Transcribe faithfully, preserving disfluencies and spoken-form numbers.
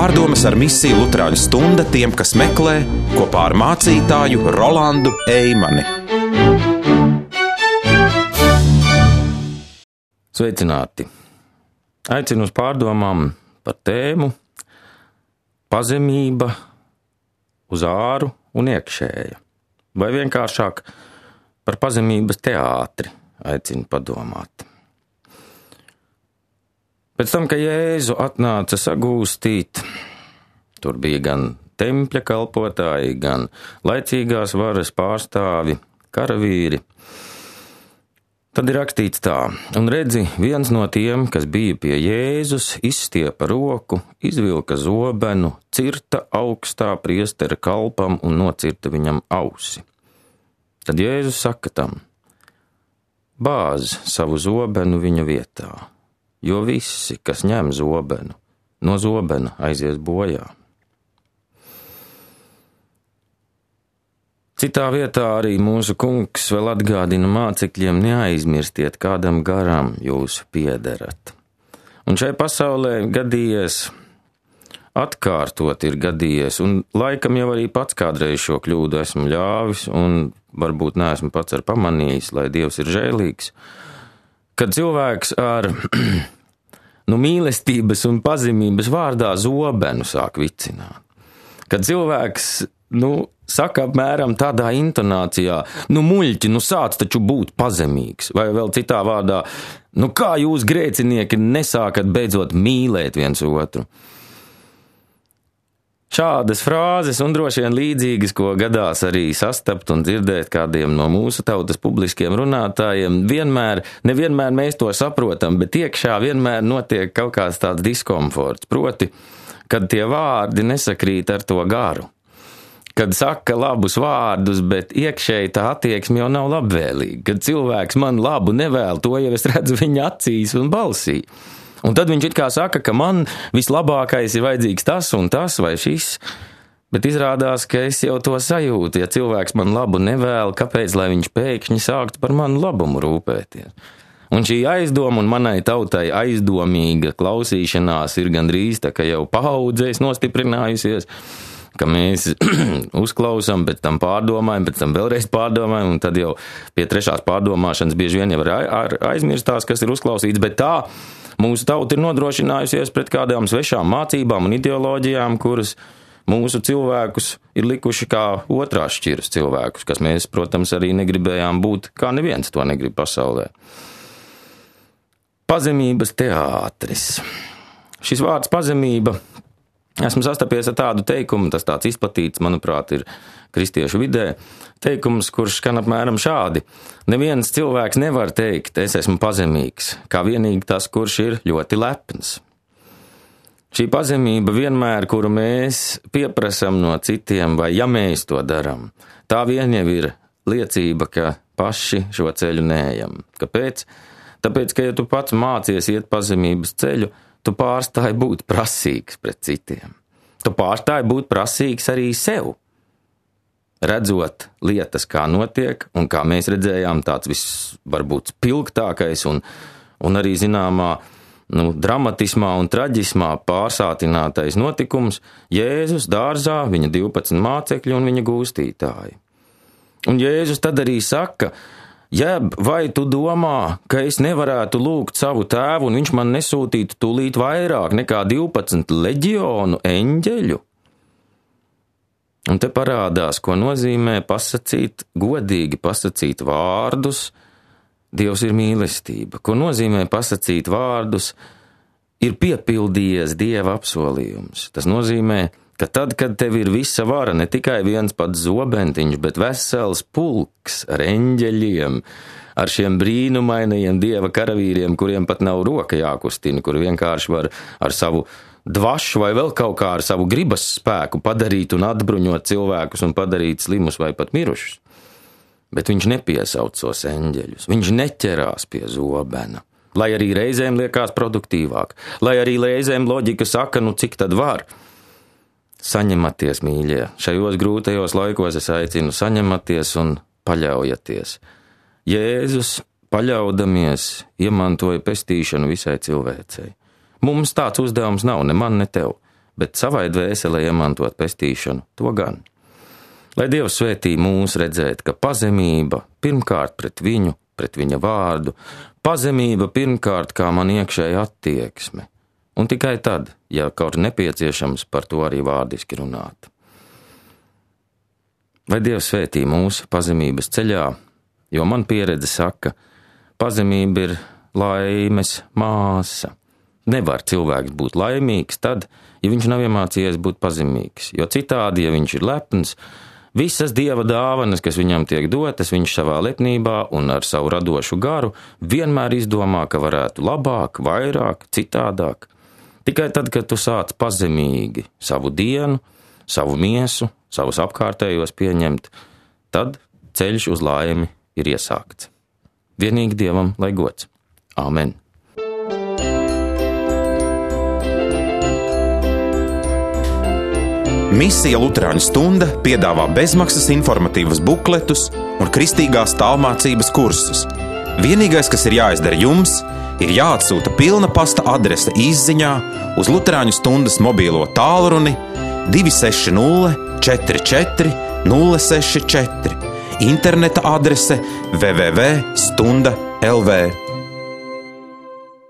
Pārdomas ar misiju Luterāņu stunda tiem, kas meklē, kopā ar mācītāju Rolandu Eimani. Sveicināti! Aicinu uz pārdomām par tēmu pazemība uz āru un iekšēja. Vai vienkāršāk par pazemības teātri aicinu padomāt. Pēc tam, ka Jēzu atnāca sagūstīt, tur bija gan tempļa kalpotāji, gan laicīgās varas pārstāvi, karavīri. Tad ir rakstīts tā, un redzi, viens no tiem, kas bija pie Jēzus, izstiepa roku, izvilka zobenu, cirta augstā priestera kalpam un nocirta viņam ausi. Tad Jēzus saka tam, bāz savu zobenu viņa vietā, jo visi, kas ņem zobenu, no zobena aizies bojā. Citā vietā arī mūsu kungs vēl atgādina mācekļiem, neaizmirstiet, kādam garam jūs piederat. Un šai pasaulē gadījies, atkārtot ir gadījies, un laikam jau arī pats kādreiz šo kļūdu esmu ļāvis, un varbūt neesmu pats ar pamanījis, lai Dievs ir žēlīgs, kad cilvēks ar nu, mīlestības un pazemības vārdā zobenu sāk vicināt. Kad cilvēks nu, saka apmēram tādā intonācijā, nu muļķi, nu sāc taču būt pazemīgs, vai vēl citā vārdā, nu kā jūs grēcinieki nesākat beidzot mīlēt viens otru. Šādas frāzes un droši vien līdzīgas, ko gadās arī sastapt un dzirdēt kādiem no mūsu tautas publiskiem runātājiem, vienmēr, nevienmēr mēs to saprotam, bet iekšā vienmēr notiek kaut kāds tāds diskomforts, proti, kad tie vārdi nesakrīt ar to garu. Kad saka labus vārdus, bet iekšēji tā attieksme jau nav labvēlīga. Kad cilvēks man labu nevēl, to jau es redzu viņa acīs un balsī. Un tad viņš it kā saka, ka man vislabākais ir vajadzīgs tas un tas vai šis, bet izrādās, ka es jau to sajūtu. Ja cilvēks man labu nevēl, kāpēc, lai viņš pēkšņi sāktu par manu labumu rūpēties? Un šī aizdoma un manai tautai aizdomīga klausīšanās ir gandrīz tā, ka jau paudzēs nostiprinājusies, ka mēs uzklausām, pēc tam pārdomājam, pēc tam vēlreiz pārdomājam, un tad jau pie trešās pārdomāšanas bieži vien jau ar aizmirstās, kas ir uzklausīts, bet tā mūsu tauta ir nodrošinājusies pret kādām svešām mācībām un ideoloģijām, kuras mūsu cilvēkus ir likuši kā otrās šķiras cilvēkus, kas mēs, protams, arī negribējām būt, kā neviens to negrib pasaulē. Pazemības teātris. Šis vārds pazemība, esmu sastapies ar tādu teikumu, tas tāds izplatīts, manuprāt, ir kristiešu vidē, teikums, kurš skan apmēram šādi. Neviens cilvēks nevar teikt, es esmu pazemīgs, kā vienīgi tas, kurš ir ļoti lepns. Šī pazemība vienmēr, kuru mēs pieprasam no citiem, vai ja mēs to daram, tā vien jau ir liecība, ka paši šo ceļu neejam. Kāpēc? Tāpēc, ka ja tu pats mācies iet pazemības ceļu, tu pārstāji būt prasīgs pret citiem. Tu pārstāji būt prasīgs arī sev. Redzot lietas, kā notiek, un kā mēs redzējām, tāds viss varbūt spilgtākais un, un arī zināmā nu, dramatismā un traģismā pārsātinātais notikums, Jēzus dārzā, viņa divpadsmit mācekļi un viņa gūstītāji. Un Jēzus tad arī saka, jeb, vai tu domā, ka es nevarētu lūgt savu tēvu, un viņš man nesūtītu tūlīt vairāk nekā divpadsmit leģionu eņģeļu? Un te parādās, ko nozīmē pasacīt, godīgi pasacīt vārdus, Dievs ir mīlestība. Ko nozīmē pasacīt vārdus, ir piepildījies Dieva apsolījums. Tas nozīmē, ka tad, kad tev ir visa vara, ne tikai viens pats zobentiņš, bet vesels pulks ar eņģeļiem, ar šiem brīnumainajiem Dieva karavīriem, kuriem pat nav roka jākustina, kur vienkārši var ar savu dvašu vai vēl kaut kā ar savu gribas spēku padarīt un atbruņot cilvēkus un padarīt slimus vai pat mirušus. Bet viņš nepiesauc tos eņģeļus, viņš neķerās pie zobena, lai arī reizēm liekas produktīvāk, lai arī reizēm loģika saka, nu cik tad var. Saņematies, mīļie, šajos grūtajos laikos es aicinu saņematies un paļaujaties. Jēzus, paļaudamies, iemantoja pestīšanu visai cilvēcei. Mums tāds uzdevums nav, ne man, ne tev. bet savai dvēselē iemantot pestīšanu to gan. Lai Dievs svētī mūs redzēt, ka pazemība pirmkārt pret viņu, pret viņa vārdu, pazemība pirmkārt kā man iekšēja attieksme, un tikai tad, ja kaut nepieciešams, par to arī vārdiski runāt. Lai Dievs svētī mūsu pazemības ceļā, jo man pieredze saka, pazemība ir laimes māsa. Nevar cilvēks būt laimīgs tad, ja viņš nav iemācījies būt pazemīgs, jo citādi, ja viņš ir lepns, visas Dieva dāvanas, kas viņam tiek dotas, viņš savā lepnībā un ar savu radošu garu vienmēr izdomā, ka varētu labāk, vairāk, citādāk. Tikai tad, kad tu sāc pazemīgi savu dienu, savu miesu, savus apkārtējos pieņemt, tad ceļš uz laimi ir iesākts. Vienīgi Dievam lai gods. Āmen. Misija Luterāņu stunda piedāvā bezmaksas informatīvus bukletus un kristīgās tālmācības kursus. Vienīgais, kas ir jāizdara jums, ir jāatsūta pilna pasta adrese īsziņā uz Luterāņu stundas mobīlo tālruni divi seši nulle četri četri nulle seši četri, interneta adrese w w w punkt stunda punkt l v.